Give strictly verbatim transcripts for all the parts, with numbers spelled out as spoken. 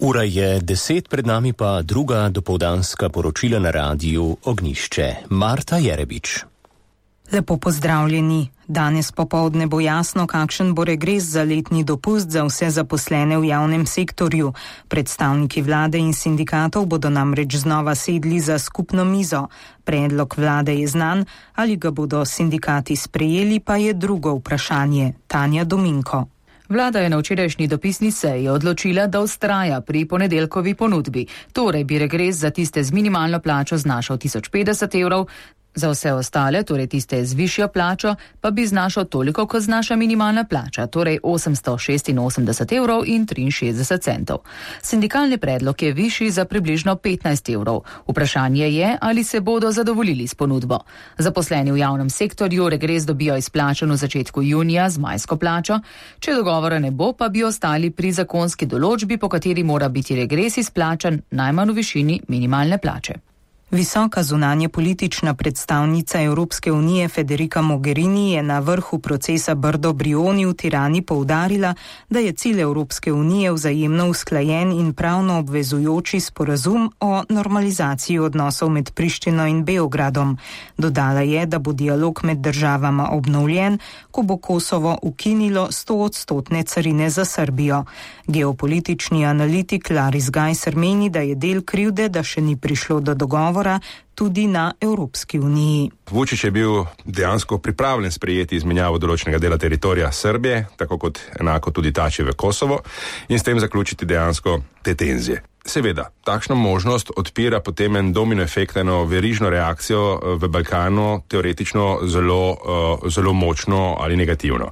Ura je deset, pred nami pa druga dopoldanska poročila na radiju Ognjišče. Marta Jerebič. Lepo pozdravljeni. Danes popoldne bo jasno, kakšen bo regres za letni dopust za vse zaposlene v javnem sektorju. Predstavniki vlade in sindikatov bodo namreč znova sedli za skupno mizo. Predlog vlade je znan, ali ga bodo sindikati sprejeli, pa je drugo vprašanje. Tanja Dominko. Vlada je na včerajšnji dopisni seji odločila, da vztraja pri ponedeljkovi ponudbi. Torej bi regres za tiste z minimalno plačo znašal tisoč petdeset evrov, za vse ostale, torej tiste z višjo plačo, pa bi znašal toliko, kot znaša minimalna plača, torej osemsto šestinosemdeset evrov in triinšestdeset centov. Sindikalni predlog je višji za približno petnajst evrov. Vprašanje je, ali se bodo zadovoljili s ponudbo. Zaposleni v javnem sektorju regres dobijo izplačan v začetku junija z majsko plačo, če dogovora ne bo, pa bi ostali pri zakonski določbi, po kateri mora biti regres izplačan najmanj v višini minimalne plače. Visoka zunanje politična predstavnica Evropske unije Federica Mogherini je na vrhu procesa Brdo-Brioni v Tirani poudarila, da je cilj Evropske unije vzajemno usklajen in pravno obvezujoči sporazum o normalizaciji odnosov med Prištino in Beogradom. Dodala je, da bo dialog med državama obnovljen, ko bo Kosovo ukinilo stoodstotne carine za Srbijo. Geopolitični analitik Laris Gajser meni, da je del krivde, da še ni prišlo do dogovora tudi na Evropski uniji. Vučić je bil dejansko pripravljen sprejeti izmenjavo določenega dela teritorija Srbije, tako kot enako tudi tači v Kosovo, in s tem zaključiti dejansko te tenzije. Seveda, takšna možnost odpira potem en domino efekt, eno verižno reakcijo v Balkanu, teoretično zelo, zelo močno ali negativno.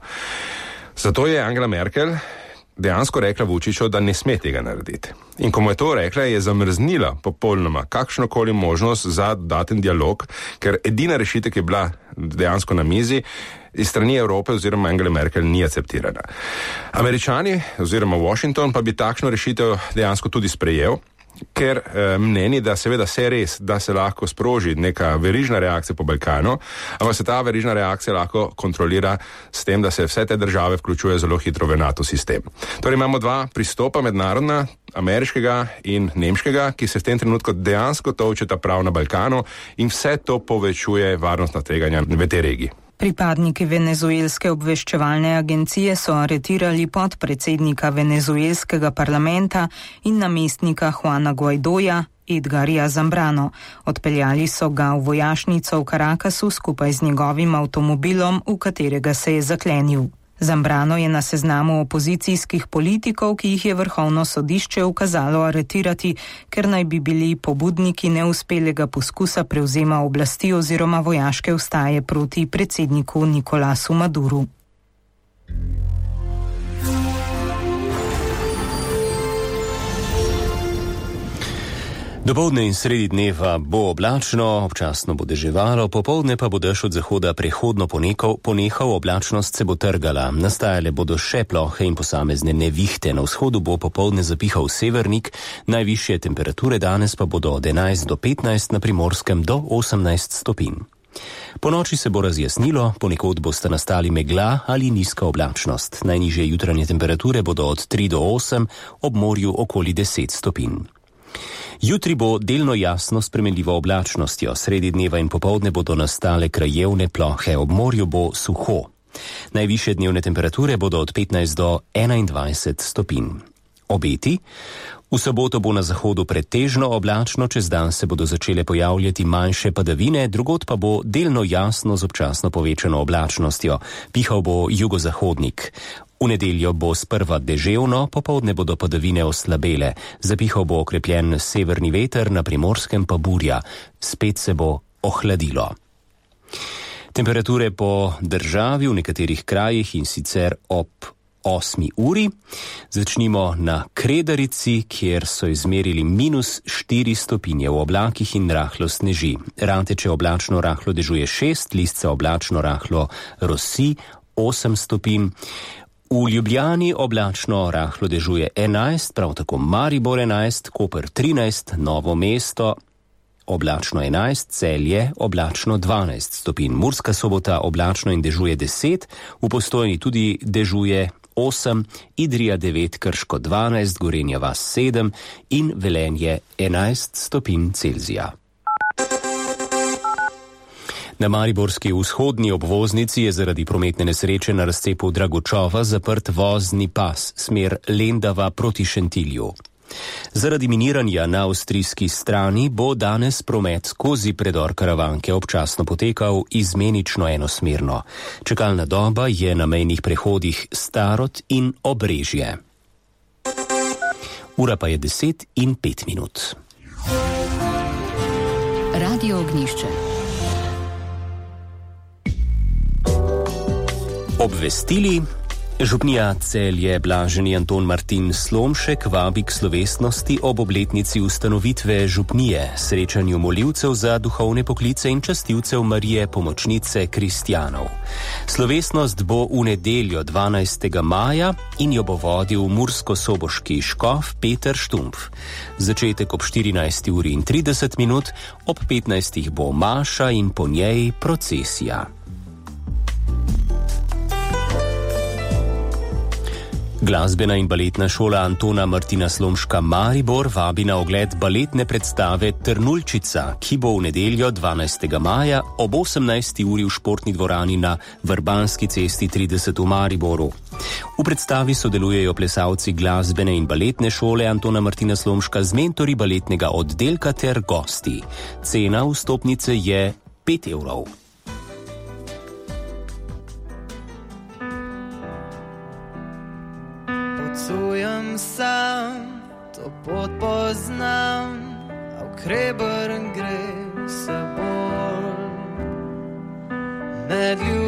Zato je Angela Merkel dejansko rekla Vučiću, da ne sme tega narediti. In ko mu je to rekla, je zamrznila popolnoma kakšnokoli možnost za dodaten dialog, ker edina rešitev, ki je bila dejansko na mizi, iz strani Evrope oziroma Angela Merkel ni akceptirana. Američani oziroma Washington pa bi takšno rešitev dejansko tudi sprejel, ker eh, mneni, da seveda se res, da se lahko sproži neka verižna reakcija po Balkanu, ampak se ta verižna reakcija lahko kontrolira s tem, da se vse te države vključuje zelo hitro v NATO sistem. Torej imamo dva pristopa mednarodna, ameriškega in nemškega, ki se v tem trenutku dejansko tolčeta prav na Balkanu in vse to povečuje varnostna tveganja v tej regiji. Pripadniki venezuelske obveščevalne agencije so aretirali podpredsednika venezuelskega parlamenta in namestnika Juana Guaidoja, Edgarja Zambrano. Odpeljali so ga v vojašnico v Caracasu skupaj z njegovim avtomobilom, v katerega se je zaklenil. Zambrano je na seznamu opozicijskih politikov, ki jih je Vrhovno sodišče ukazalo aretirati, ker naj bi bili pobudniki neuspelega poskusa prevzema oblasti oziroma vojaške vstaje proti predsedniku Nikolasu Maduru. Dopoldne in sredi dneva bo oblačno, občasno bo deževalo, popoldne pa bo dež od zahoda prehodno ponehal, ponehal, oblačnost se bo trgala. Nastajale bodo še plohe in posamezne nevihte. Na vzhodu bo popoldne zapihal severnik, najvišje temperature danes pa bodo od enajst do petnajst, na Primorskem do osemnajst stopinj. Po noči se bo razjasnilo, ponekod bosta nastali megla ali nizka oblačnost. Najnižje jutranje temperature bodo od tri do osem, ob morju okoli deset stopinj. Jutri bo delno jasno s spremenljivo oblačnostjo, sredi dneva in popoldne bodo nastale krajevne plohe, ob morju bo suho. Najvišje dnevne temperature bodo od petnajst do enaindvajset stopinj. Obeti? V soboto bo na zahodu pretežno oblačno, čez dan se bodo začele pojavljati manjše padavine, drugod pa bo delno jasno z občasno povečano oblačnostjo. Pihal bo jugozahodnik. V nedeljo bo sprva deževno, popoldne bodo padavine oslabele. Zapihal bo okrepljen severni veter, na Primorskem pa burja. Spet se bo ohladilo. Temperature po državi v nekaterih krajih in sicer ob osmi uri. Začnimo na Kredarici, kjer so izmerili minus štiri stopinje, v oblakih in rahlo sneži. Rateče oblačno rahlo dežuje šest, Listca oblačno rahlo rosi osem stopinj. V Ljubljani oblačno rahlo dežuje enajst, prav tako Maribor enajst, Koper trinajst, Novo mesto oblačno enajst, Celje oblačno dvanajst stopinj. Murska Sobota oblačno in dežuje deset, v Postojni tudi dežuje osem, Idrija devet, Krško dvanajst, Gorenja vas sedem in Velenje enajst stopinj Celzija. Na mariborski vzhodni obvoznici je zaradi prometne nesreče na razcepu Dragočova zaprt vozni pas smer Lendava proti Šentilju. Zaradi miniranja na avstrijski strani bo danes promet skozi predor Karavanke občasno potekal izmenično enosmerno. Čakalna doba je na mejnih prehodih Starod in Obrežje. Ura pa je deset in pet minut. Radio Ognjišče. Obvestili. Župnija Celje Blaženi Anton Martin Slomšek vabi k slovesnosti ob obletnici ustanovitve župnije, srečanju molivcev za duhovne poklice in častilcev Marije Pomočnice kristjanov. Slovesnost bo v nedeljo dvanajstega maja in jo bo vodil mursko-soboški škof Peter Štumpf. Začetek ob štirinajsti uri in trideset minut, ob petnajstih bo maša in po njej procesija. Glasbena in baletna šola Antona Martina Slomška Maribor vabi na ogled baletne predstave Trnulčica, ki bo v nedeljo dvanajstega maja ob osemnajsti uri v športni dvorani na Vrbanski cesti trideset v Mariboru. V predstavi sodelujejo plesalci glasbene in baletne šole Antona Martina Slomška z mentori baletnega oddelka ter gosti. Cena vstopnice je pet evrov. Potujem sam, to pot poznam, a v Kreber gre vse bolj. Med ljudmi